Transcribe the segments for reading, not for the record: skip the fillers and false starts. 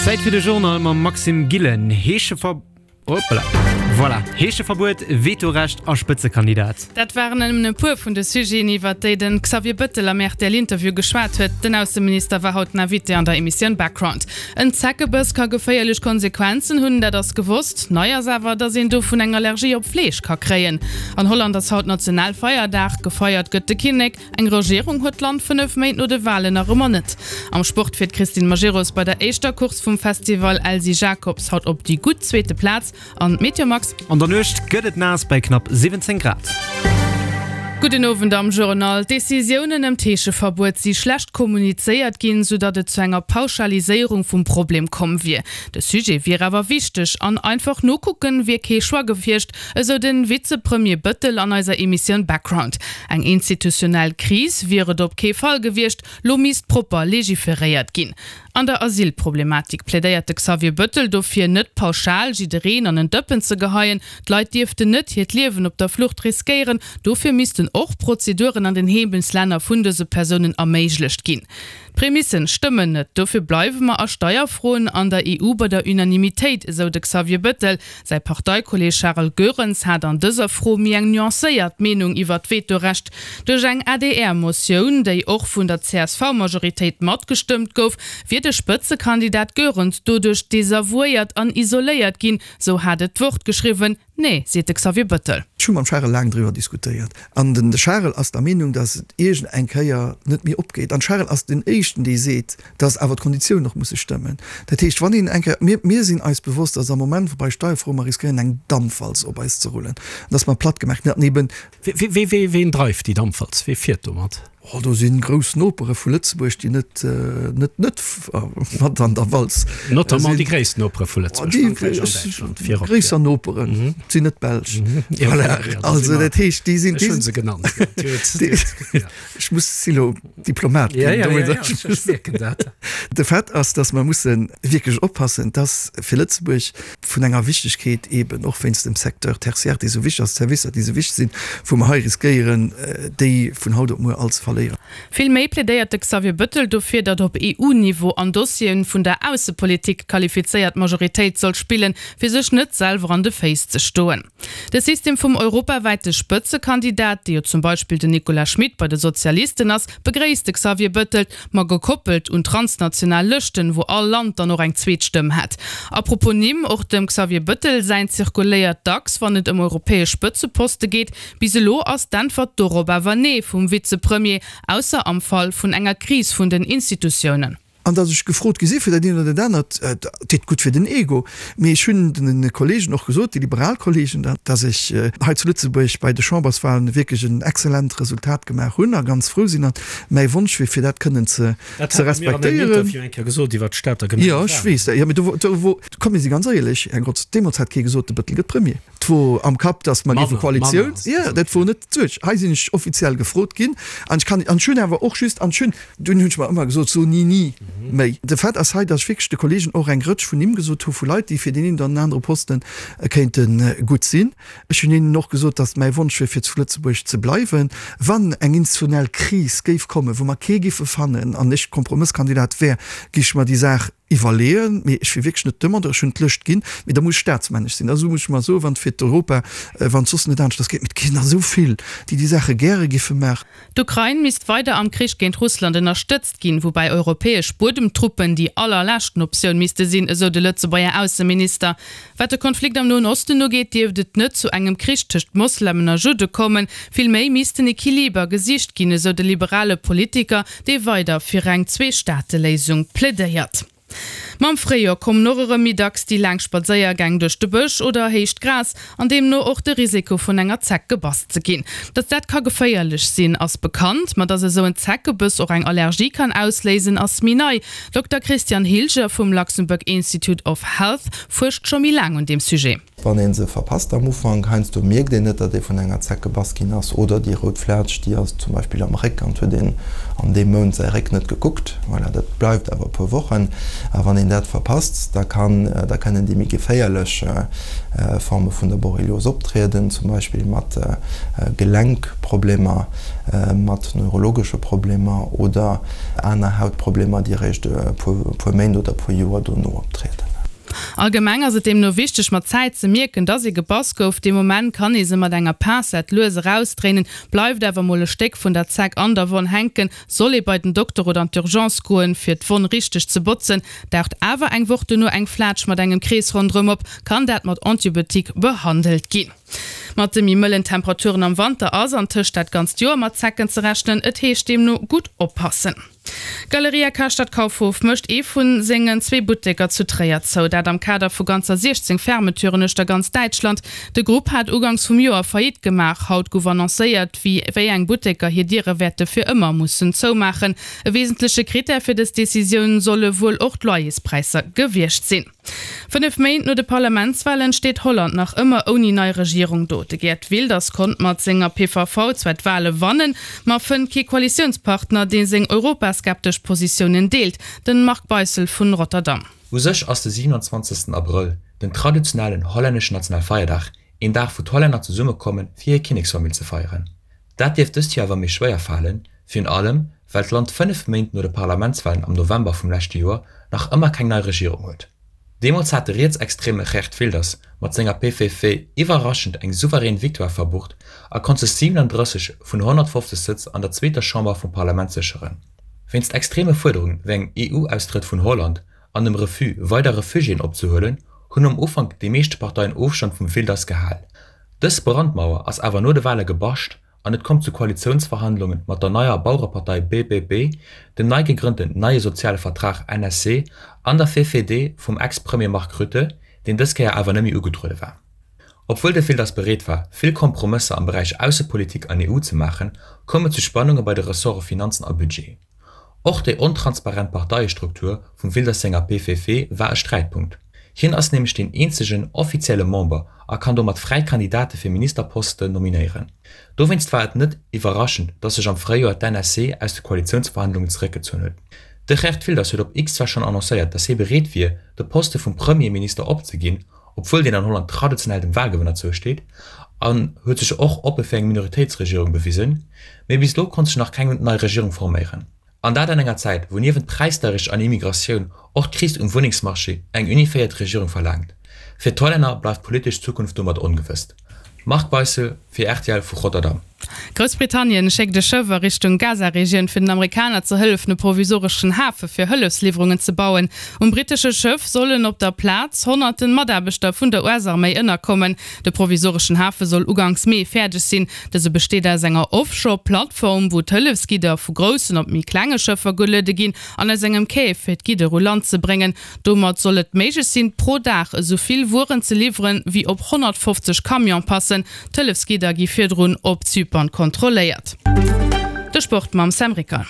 Zäit fir de Journal mam Maxime Gillen. Heeschever. Hoppla. Voilà. Heescheverbuet, Vetorecht a Spëtzekandidat. Dat waren nëmmen e puer vun de Sujeten, iwwert déi de Xavier Bëttel am RTL-Interview geschwat huet. Den Ausseminister war haut den Invité an der Emissioun Background. En Zeckebëss ka geféierlech Konsequenzen hunn, dat ass gewosst. Nei ass awer, datt een dovun eng Allergie op Fleesch ka kréien. An Holland ass haut Nationalfeierdag, gefeiert gëtt de Kinnek. Eng Regierung huet d'Land 5 Méint no de Walen nach ëmmer net. Am Sport fiert d'Christine Majerus bei der éischter Course vum Festival Elsy Jacobs haut op déi gutt zweete Plaz. An d'Meteo Max? An der Nuecht gëtt et naass bei knapp 17 Grad. Gudden Owend am Journal. D'Decisiounen ëm d'Heescheverbuet si schlecht kommunizéiert ginn, sou datt et zu enger Pauschaliséierung vum Problem komm wier. De Sujet wier awer wichteg an einfach nokucken wier kee Choix gewiescht, Esou den Vizepremier Bëttel an eiser Emissioun Background. Eng institutionell Kris wier et op kee Fall gewiescht, lo misst propper legiferéiert ginn. An der Asylproblematik plädéiert de Xavier Bëttel dofir, net pauschal jiddereen an en Dëppen ze geheien. D'Leit dierften net hiert Liewen op der Flucht riskéieren, dofir missten och Prozeduren an den Heemechtslänner vun dëse Persounen erméiglecht ginn. D'Prämissen stëmmen net, dofir bleiwe mer a Steierfroen an der EU bei der Unanimitéit, esou de Xavier Bëttel. Säi Parteikolleeg Charel Goerens hat an dëser Fro méi eng nuancéiert Meenung iwwer d'Vetorecht. Duerch eng ADR-Motioun, déi och vun der CSV-Majoritéit matgestëmmt gouf, wier de Spëtzekandidat Goerens doduerch desavouéiert an isoléiert ginn, sou hat et d'Wort geschriwwen. Nee, seet de Xavier Bëttel. Ech hu mam Charel laang driwwer diskutéiert. An den Charel ass der Meenung, datt et iergend eng Kéier net méi opgeet. An Charel ass den éischten, dee seet, datt awer d'Konditiounen och musse stëmmen. Dat heescht, wann een eng Kéier, mir, mir sinn eis bewosst, datt am Moment, wou bei Steierfroe mer riskéieren eng Dampwalz op eis ze rullen, datt mer platt gemaach ginn, an eben, Wee, wee, ween dreift déi Dampwalz? Wee fiert domat? Oh, do si grouss Nopere vu Lëtzebuerg, déi net, net, net mat an der Walz sinn. Notamment déi gréisst Nopere vu Lëtzebuerg, Frankräich an Däitschland virop. Gréisser Noperen sinn net d'Belsch. Voilà, also dat heescht, déi sinn. Ech hu se genannt. Ech muss si lo Diplomat ginn. Ja, ja, ja, ech mierken dat. De Fait ass, datt mer musse wierklech oppassen, datt fir Lëtzebuerg vun enger Wichtegkeet eben och wéinst dem Secteur tertiaire, dee sou wichteg ass, d'Servicer, déi sou wichteg sinn, wou mer hei riskéieren, déi vun haut op muer all ze verléieren. Vill méi plädéiert de Xavier Bëttel dofir, datt op EU-Niveau an Dossieren vun der Aussepolitik d'qualifizéiert Majoritéit soll spillen, fir sech net selwer an de Féiss ze stoen. De System vum europawäite Spëtzekandidat, dee jo zum Beispill den Nicolas Schmit bei de Sozialisten ass, begréisst de Xavier Bëttel, ma gekoppelt un transnational Lëschten, wou all Land dann och eng zweet Stëmm hätt. A propos Nimm, och dem Xavier Bëttel säin zirkuléiert dacks, wann et ëm europäesch Spëtzeposte geet. Bis elo ass d'Äntwert dorop awer Nee vum Vizepremier, ausser am Fall vun enger Kris vun den Institutiounen. An datt ech gefrot gi si fir dat eent oder dat anert, dat deet gutt fir den Ego. Mee ech hunn de Kollegen och gesot, déi liberal Kollegen, datt ech hei zu Lëtzebuerg bei de Chamberswahlen wierklech en excellent Resultat gemaach hunn a ganz frou sinn. An mäi Wonsch wier, fir dat kënnen ze Dat hat Der mir an engem respektéieren. Interview eng Kéier gesot iwwert d'Stater Jo, ech weess dat. Jo, mee do, do wor, komm mir si ganz éierlech, Här Grotz, deemools hat kee gesot, de Bëttel gëtt Premier. 't wor am Kapp, datt mer géife Koalitioun, jo, dat wor net d'Suerg. Hei sinn ech offiziell gefrot ginn an ech kann, an ech hunn awer och just, an ech hunn, dunn hunn ech mer ëmmer gesot, so ni ni méi. De Fait ass hei, datt ech wierklech de Kollegen och eng Rëtsch vun Nimm gesot hu vu Leit, déi fir deen een oder den anere Poste kéinte gutt sinn. Ech hunn hinnen och gesot, datt mäi Wonsch wier, fir zu Lëtzebuerg ze bleiwen, wann eng institutionell Kris géif kommen, wou mer kee giffe fannen an ech Kompromësskandidat wär, géif ech mer déi Saach iwwerleeën, mee ech wier wierklech net Demandeur, ech hunn d'Lëscht ginn, mee da muss ech staatsmännesch sinn, also muss ech mer soen, wann et fir d'Europa, wann et soss net aneschters geet, mee et ginn der esou vill, déi déi Saache gäre giffe maachen. D'Ukrain misst weider am Krich géint Russland ënnerstëtzt ginn, woubäi europäesch Buedemtruppen déi allerleschten Optioun misste sinn, esou de Lëtzebuerger Ausseminister. Wat de Konflikt am Noen Osten ugeet, dierft et net zu engem Krich tëscht Moslemen a Judde kommen, vill méi misst den Equiliber gesicht ginn, esou de liberale Politiker, dee weider fir eng Zwee-Staate-Léisung plädéiert. Mam Fréijoer kommen och erëm méi dacks déi laang Spadséiergäng duerch de Bësch oder héicht Gras, an deemno och de Risiko vun enger Zeck gebass ze ginn. Datt dat ka geféierlech sinn, ass bekannt, ma datt esou en Zeckebëss och eng Allergie kann ausléisen, ass méi nei. Dokter Christian Hilger vum Luxembourg Institute of Health fuerscht scho méi laang un deem Sujet. Wann een se verpasst am Ufank, heiansdo mierkt een net, datt ee vun enger Zeck gebass ginn ass, oder déi rout Flaatsch, déi ass zum Beispill am Réck an et huet een an deem Mount säi Réck net gekuckt. Voilà, dat bleift awer e puer Wochen. A wann een. een dat verpasst, da kann, da kënnen déi méi geféierlech Forme vun der Borrelios optrieden, zum Beispill mat Gelenkproblemer, mat neurologesche Problemer oder aner Hautproblemer, déi eréischt e puer Méint oder e puer Joer dono optrieden. Allgemeng ass et deemno wichteg, mat Zäit ze mierken, dass ee gebass gouf. Dee Moment kann ee se mat enger Pincette lues erausdréinen. Bleift awer mol e Stéck vun der Zeck an der Wonn hänken, soll ee bei den Dokter oder an d'Urgence goen, fir d'Wonn richteg ze botzen. Daucht awer eng Woch dono eng Flaatsch mat engem Krees ronderëm op, kann dat mat Antibiotique behandelt ginn. Mat de méi mëllen Temperaturen am Wanter ass antëscht dat ganzt Joer mat Zecken ze rechnen. Et heescht deemno gutt oppassen. D'Galeria Karstadt Kaufhof mécht ee vu sengen zwee Butteker zu Tréier zou. Dat am Kader vu ganzer 16 Fermeturen uechter ganz Däitschland. De Grupp hat uganks vum Joer Faillite gemaach. Haut gouf annoncéiert, wéi wéi eng Butteker hir Diere wäerte fir ëmmer mussen zoumaachen. E wesentleche Critère fir dës Decisioun solle wuel och d'Loyerspräisser gewiescht sinn. 5 Méint no de Parlamentswalen steet Holland nach ëmmer ouni nei Regierung do. De Geert Wilders konnt mat senger PVV zwar d'Wale wannen, ma fënnt kee Koalitiounspartner, dee seng europaskeptesch Positiounen deelt. Den Marc Beissel vun Rotterdam. U sech ass de 27. Abrëll, den traditionellen hollänneschen Nationalfeierdag, een Dag wou d'Hollänner zesummekommen fir hir Kinneksfamill ze feieren. Dat dierft dëst Joer awer méi schwéier falen, virun allem well d'Land 5 Méint no de Parlamentswalen am November vum leschte Joer nach ëmmer keng nei Regierung huet. Deemools hat de rietsextreme Geert Wilders mat senger PVV iwwerraschend eng souverän Victoire verbucht a konnt sech 37 vun 150 Sëtz an der zweeter Chamber vum Parlament sécheren. Wéinst extreme Fuerderungen wéi engem EU-Austrëtt vun Holland an dem Refus, weider Refugiéen opzehuelen, hunn am Ufank déi meeschte Parteien Ofstand vum Wilders gehal. Dës Brandmauer ass awer no de Wale gebascht an et koum zu Koalitiounsverhandlunge mat der neier Bauerepartei BBB, dem nei gegrënnten Neie Soziale Vertrag, NSC, an der VVD vum Ex-Premier Mark Rutte, deen dës Kéier awer net méi ugetruede war. Obwuel de Wilders bereet war, vill Kompromësser am Beräich Aussepolitik an EU ze maachen, koum et zu Spannunge bei de Ressorte Finanzen a Budget. Och déi ontransparent Parteiestruktur vum Wilders senger PVV war e Sträitpunkt. Hien ass nämlech deen eenzegen offizielle Member a kann domat fräi Kandidate fir Ministerposten nominéieren. Dowéinst war et net iwwerraschend, datt sech am Fréijoer d'NSC aus de Koalitiounsverhandlungen zeréckgezunn huet. De Geert Wilders huet op X zwar schonn annoncéiert, datt hie bereet wier, de Poste vum Premierminister opzeginn, obwuel deen an Holland traditionell dem Walgewënner zousteet, an huet sech och oppe fir eng Minoritéitsregierung bewisen, mee bis elo konnt sech nach keng nei Regierung forméieren. An dat an enger Zäit, wou niewent Präisdeierecht an Immigratioun och d'Kris um Wunnengsmarché eng unifiéiert Regierung verlaangt. Fir d'Hollänner bleift d'politesch Zukunft domat ongewëss. Marc Beissel fir rtl vu Rotterdam. Groussbritannien schéckt e Schëff a Richtung Gaza-Regioun, fir den Amerikaner ze hëllefen, e provisoreschen Hafe fir Hëllefsliwwerungen ze bauen. Um brittesche Schëff sollen op der Plaz honnerten Mataarbechter vun der US-Arméi ënnerkommen. De provisoreschen Hafe soll uganks Mee fäerdeg sinn. Dëse besteet aus enger Offshore-Plattform, wou d'Hëllefsgidder vu groussen op méi klenge Schëffer geluede ginn, an aus engem Quai, fir d'Gidder u Land ze bréngen. Domat soll et méiglech sinn, pro Dag esou vill Wueren ze liwweren, wéi op 150 Camion passen. D'Hëllefsgidder gi virdrun op Zypern kontrolléiert. De Sport mam Sam Ricker.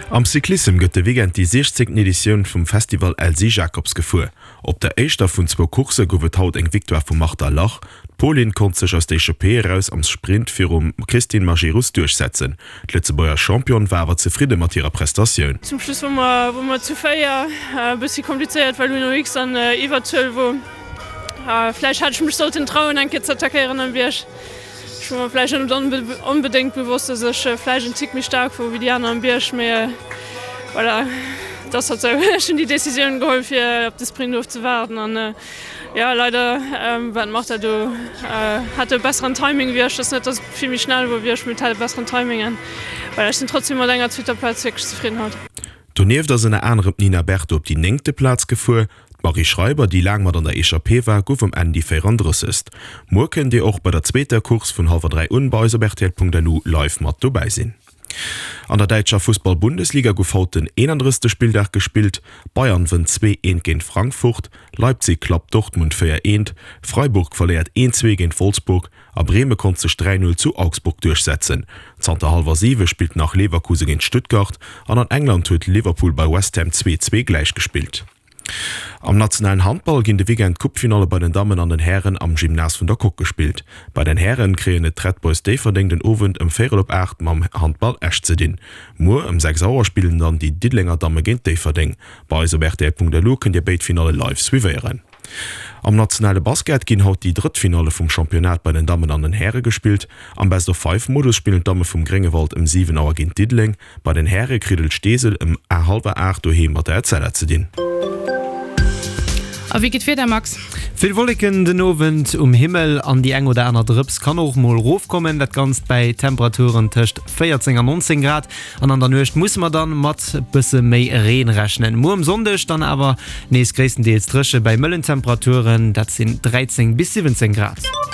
Am Cyclissem gëtt de Weekend déi 16. Editioun vum Festival Elsy Jacobs gefuer. Op der éischter vun zwou Coursse gouf et haut eng Victoire vum Marta Lach. D'Polin konnt sech aus der Echappée eraus am Sprint virum Christine Majerus duerchsetzen. D'Lëtzebuerger Championne war awer zefridde mat hirer Prestatioun. Zum Schluss wor mer wor mer zu 4, e bëssi komplizéiert well Uno X an Iwwerzuel wor. Vläicht hat ech mech sollten trauen eng Kéier ze attackéieren am Bierg. Ech wor mer vläicht net onbedéngt bewosst dass ech vläicht en Tick méi staark wor wéi déi aner am Bierg, mee voilà, et ass halt sou. Ech hunn déi Decisioun geholl fir op de Sprint ofzewaarden an Jo leider war d'Marta do, hat e besseren Timing wéi ech. Et ass net dass et vill méi schnell wor wéi ech, mee et hat e besseren Timing an voilà, ech sinn trotzdem mat enger zweeter Plaz wierklech zefridden haut. Donieft ass ënner anerem d'Nina Berto op déi néngte Plaz gefuer. D'Marie Schreiber, déi laang mat an der Echappée war, gouf um Enn déi 34. Muer kënnt Dir och bei der zweeter Course vun hallwer 3 un bei eis op rtl.lu live mat dobäi sinn. An der däitscher Fussball-Bundesliga gouf haut den 31. Spilldag gespillt. Bayern wënnt 2, 1 géint Frankfurt, Leipzig klappt Dortmund 4, 1, Freiburg verléiert 1, 2 géint Wolfsburg a Breme konnt sech 3, 0 zu Augsburg duerchsetzen. Zanter hallwer 7 spillt nach Leverkusen géint Stuttgart an an England huet Liverpool bei West Ham 2, 2 gläichgespillt. Am nationalen Handball ginn de Weekend d'Coupe-Finalle bei den Dammen an den Hären am Gymnase vun der Coque gespillt. Bei den Hären kréien et d'Red Boys Déifferdeng den Owend ëm véierel op 8 mam Handball Esch ze dinn. Muer ëm 6 Auer spillen dann déi Diddelenger Damme géint Déifferdeng. Bei eis op rtl.lu kënnt Dir béid Finalle live suivéieren. Am nationale Basket ginn haut déi drëtt Finalle vum Championnat bei den Dammen an den Häre gespillt. Am Best-of-Five-Modus spillen d'Damme vum Gréngewald ëm 7 Auer géint Diddeleng. Bei den Häre kritt et Steesel ëm hallwer 8 doheem mat der Etzella ze dinn. A wéi geet d'Wieder, Max? Vill Wolleken den Owend um Himmel an déi eng oder aner Drëps kann och mol rofkommen. Dat Ganzt bäi Temperaturen tëscht 14 an 19 Grad. An an der Nuecht musse mer dann mat bësse méi Reen rechnen. Muer um Sonndeg dann awer nees gréisstendeels dréche bäi mëllen Temperaturen, dat sinn 13 bis 17 Grad.